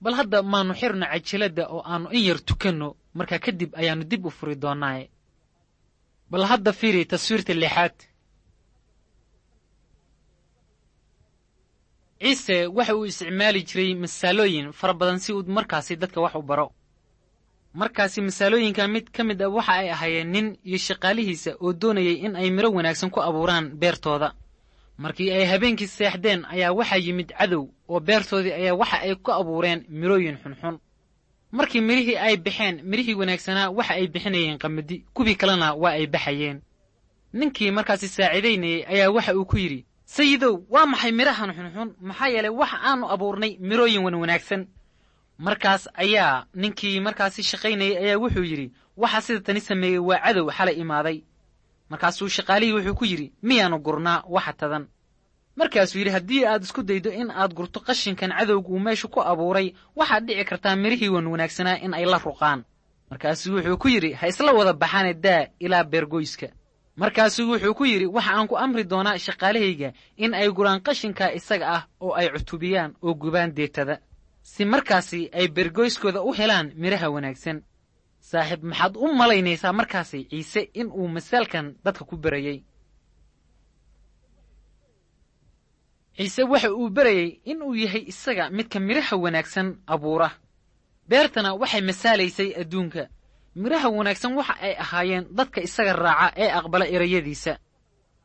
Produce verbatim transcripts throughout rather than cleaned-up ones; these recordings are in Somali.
Bal hadda maannu xirno cajiladda oo aannu in yar tukanno, markaa kadib ayaannu dib u furi doonnaaye. Bal hadda fiiri taswiirta lixaad. Ciise waxa uu isticmaali jiray masaalooyin fara badan si uu markaasi dadka wax u baro. Markaasi masaalooyinka mid ka mid ah waxa ay ahaayeen nin iyo shaqaalihiisa oo doonayay in ay midho wanaagsan ku abuuraan beertooda. Markii ay habeenkii seexdeen ayaa waxaa yimid cadow oo beertoodii ayaa waxa ay ku abuureen mirooyin xunxun. Markii midhihii ay baxeen, midhihii wanaagsanaa waxa ay bixinayeen qamadi, kuwii kalena waa ay baxayeen. Ninkii markaasi saaciidaynayay ayaa waxa uu ku yidhi, Sayidow, waa maxay midhahan xunxun? Maxaa yeelay waxa aanu abuurnay mirooyin wan wanaagsan. Markaas ayaa ninkii markaasi shaqaynayay ayaa wuxuu yidhi, waxa sida tani sameeyey waa cadow xalay imaaday. Markaasuu shaqaalihii wuxuu ku yidhi, miyaannu gurnaa waxa tadan? Markaasuu yidhi, haddii aad isku daydo in aad gurto qashinkan cadowgu uu meesha ku abuuray, waxaad dhici kartaa midhihii wan wanaagsanaa in ay la ruqaan. Markaasuu wuxuu ku yidhi, ha isla wada baxaane daa ilaa beergoyska. Markaasuu wuxuu ku yidhi, waxa aan ku amri doonaa shaqaalahayga in ay guraan qashinka isaga ah oo ay cutubiyaan oo gubaan deetada, si markaasi ay beergoyskooda u helaan midhaha wanaagsan. Saaxiib, maxaad u malaynaysaa markaasi Ciise in uu masaalkan dadka ku berayey? Ciise waxa uu berayey in uu yahay isaga midka midhaha wanaagsan abuura. Beertana waxay masaalaysay adduunka. Midhaha wanaagsan waxa ay ahaayeen dadka isaga raaca ee aqbala erayadiisa.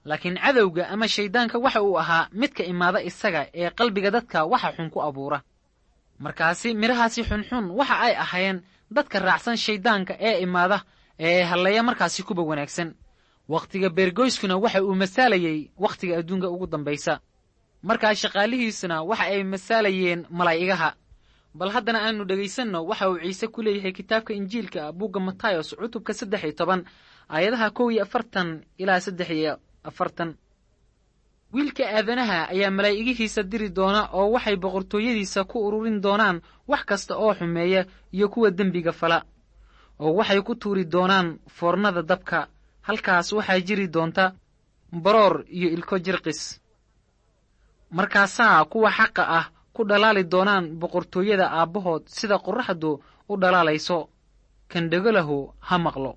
Laakiin cadowga ama shayddaanka waxa uu ahaa midka imaada isaga ee qalbiga dadka waxa xun ku abuura. Markaasi midhahaasi xunxun waxa ay ahaayeen dadka raacsan shayddaanka ee imaada ee halleeya markaasi kuba wanaagsan. Wakhtiga beergoyskuna waxa uu masaalayey wakhtiga adduunka ugu dambaysa. Markaa shaqaalihiisuna waxa ay masaalayeen malaa'igaha. Bal haddana aanu dhegaysanno waxa uu Ciise ku leeyahay kitaabka Injiilka buugga Matayos cutubka saddex iyo toban aayadaha kow iyo afartan ilaa saddex iyo afartan. Wiilka aadanaha ayaa malaa'igihiisa diri doona oo waxay boqortooyadiisa ku ururin doonaan wax kasta oo xumeeya iyo kuwa dembiga fala, oo waxay ku tuuri doonaan foornada dabka. Halkaas waxaa jiri doonta baroor iyo ilko jirqis. Markaasaa kuwa xaqa ah ku dhalaali doonaan boqortooyada aabbahood sida qorraxdu u dhalaalayso. Kan dhegolahu ha maqlo.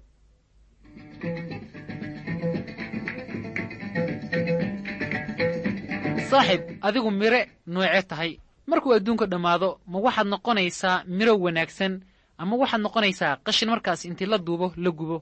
Saaxiib, adigu mire noocee tahay? Markuu adduunka dhammaado, ma waxaad noqonaysaa miro wanaagsan ama waxaad noqonaysaa qashin markaas intii la duubo la gubo?